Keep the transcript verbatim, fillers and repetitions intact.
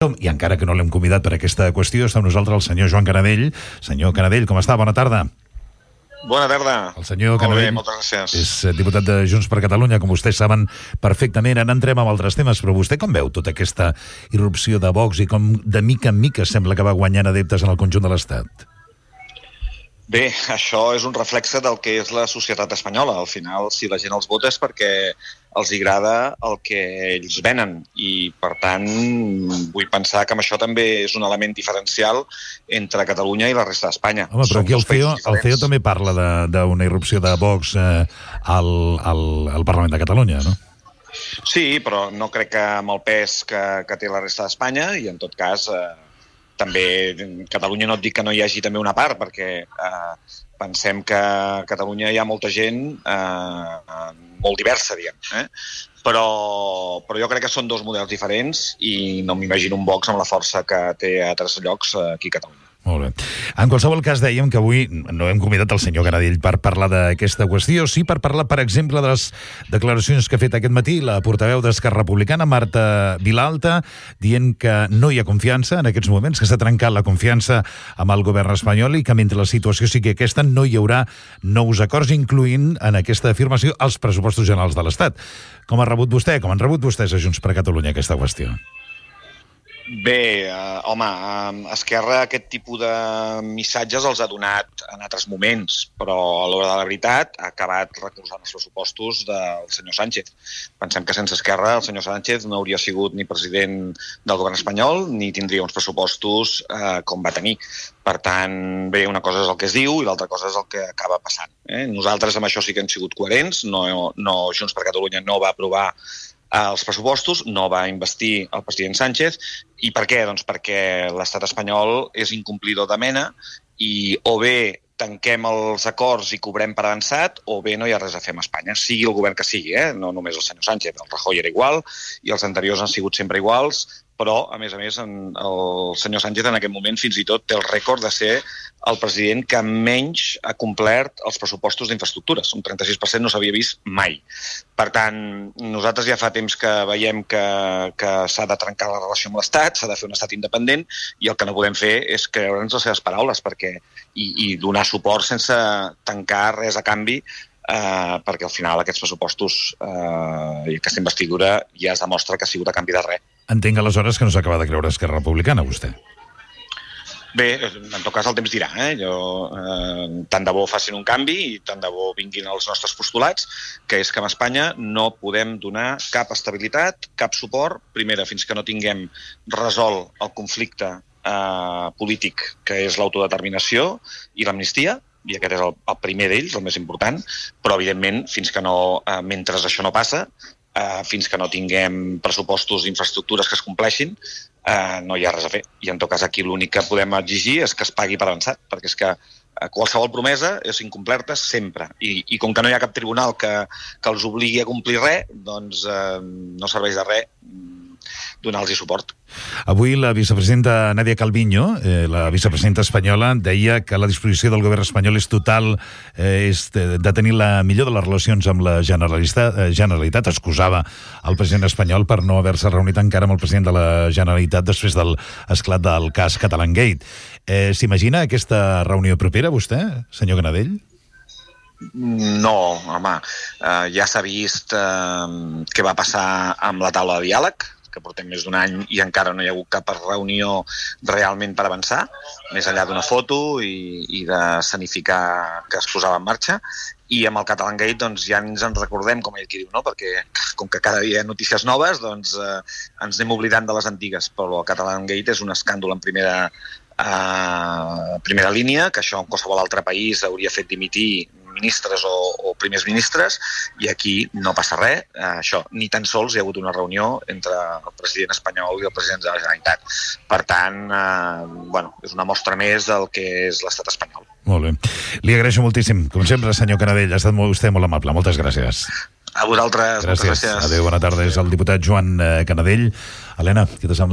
I encara que no l'hem convidat per aquesta qüestió, està amb nosaltres el senyor Joan Canadell. Senyor Canadell, com està? Bona tarda. Bona tarda. El senyor Molt Canadell bé, moltes gràcies. és diputat de Junts per Catalunya, com vostès saben perfectament. Ara entrem amb altres temes, però vostè com veu tota aquesta irrupció de Vox i com de mica en mica sembla que va guanyant adeptes en el conjunt de l'Estat? Bé, això és un reflexe del que és la societat espanyola. Al final, si la gent els vota és perquè els agrada el que ells venen i, per tant, vull pensar que amb això també és un element diferencial entre Catalunya i la resta d'Espanya. Home, però aquí el C E O, el C E O també parla d'una irrupció de Vox eh, al, al, al Parlament de Catalunya, no? Sí, però no crec que amb el pes que, que té la resta d'Espanya i, en tot cas, eh, també Catalunya no et dic que no hi hagi també una part, perquè eh, pensem que a Catalunya hi ha molta gent eh, molt diversa, diguem. Eh? Però, però jo crec que són dos models diferents i no m'imagino un Vox amb la força que té a altres llocs aquí a Catalunya. Molt bé. En qualsevol cas, dèiem que avui no hem convidat el senyor Canadell per parlar d'aquesta qüestió, sí per parlar, per exemple, de les declaracions que ha fet aquest matí la portaveu d'Esquerra Republicana, Marta Vilalta, dient que no hi ha confiança en aquests moments, que s'ha trencat la confiança amb el govern espanyol i que mentre la situació sigui aquesta no hi haurà nous acords, incloent en aquesta afirmació els pressupostos generals de l'Estat. Com ha rebut vostè, com han rebut vostès a Junts per Catalunya aquesta qüestió? Bé, eh, home, eh, Esquerra aquest tipus de missatges els ha donat en altres moments, però a l'hora de la veritat ha acabat recolzant els pressupostos del senyor Sánchez. Pensem que sense Esquerra el senyor Sánchez no hauria sigut ni president del govern espanyol ni tindria uns pressupostos eh, com va tenir. Per tant, bé, una cosa és el que es diu i l'altra cosa és el que acaba passant. Eh? Nosaltres amb això sí que hem sigut coherents, no, no, Junts per Catalunya no va aprovar els pressupostos, no va investir el president Sánchez. I per què? Doncs perquè l'estat espanyol és incomplidor de mena i o bé tanquem els acords i cobrem per avançat o bé no hi ha res a fer amb Espanya, sigui el govern que sigui, eh? No només el senyor Sánchez, el Rajoy era igual i els anteriors han sigut sempre iguals, però, a més a més, el senyor Sánchez en aquest moment fins i tot té el rècord de ser el president que menys ha complert els pressupostos d'infraestructures. Un trenta-sis per cent no s'havia vist mai. Per tant, nosaltres ja fa temps que veiem que, que s'ha de trencar la relació amb l'Estat, s'ha de fer un estat independent i el que no podem fer és creure'ns les seves paraules perquè, i, i donar suport sense tancar res a canvi, eh, perquè al final aquests pressupostos eh, i aquesta investidura ja es demostra que ha sigut a canvi de res. Entenc aleshores que no s'acaba de creure Esquerra Republicana, vostè. Bé, en tot cas el temps dirà. Eh? Jo, eh, tant de bo facin un canvi i tant de bo vinguin els nostres postulats, que és que a Espanya no podem donar cap estabilitat, cap suport, primera, fins que no tinguem resolt el conflicte eh, polític, que és l'autodeterminació i l'amnistia, i aquest és el, el primer d'ells, el més important, però evidentment, fins que no, eh, mentre això no passa, Uh, fins que no tinguem pressupostos d'infraestructures que es compleixin, uh, no hi ha res a fer. I en tot cas aquí l'únic que podem exigir és que es pagui per avançat, perquè és que uh, qualsevol promesa és incomplerta sempre. I, i com que no hi ha cap tribunal que, que els obligui a complir res, doncs uh, no serveix de res donar-los suport. Avui la vicepresidenta Nadia Calviño, eh, la vicepresidenta espanyola, deia que la disposició del govern espanyol és total, eh, és de, de tenir la millor de les relacions amb la Generalitat, eh, Generalitat. Excusava el president espanyol per no haver-se reunit encara amb el president de la Generalitat després del esclat del cas Catalangate. Eh, S'imagina aquesta reunió propera, vostè, senyor Canadell? No, home, eh, ja s'ha vist eh, què va passar amb la taula de diàleg, que portem més d'un any i encara no hi ha hagut cap reunió realment per avançar, més enllà d'una foto i, i de sanificar que es posava en marxa. I amb el Catalangate doncs, ja ens en recordem, com ell qui diu, no? Perquè com que cada dia hi ha notícies noves, doncs eh, ens anem oblidant de les antigues, però el Catalangate és un escàndol en primera, eh, primera línia, que això en qualsevol altre país hauria fet dimitir ministres o, o primers ministres, i aquí no passa res, eh, això, ni tan sols hi ha hagut una reunió entre el president espanyol i el president de la Generalitat. Per tant, eh, bueno, és una mostra més del que és l'estat espanyol. Molt bé. Li agraeixo moltíssim. Com sempre, senyor Canadell, ha estat molt, vostè molt amable. Moltes gràcies. A vosaltres, gràcies. moltes gràcies. Adéu, bona tarda. És el diputat Joan Canadell. Helena, què t'ha semblat?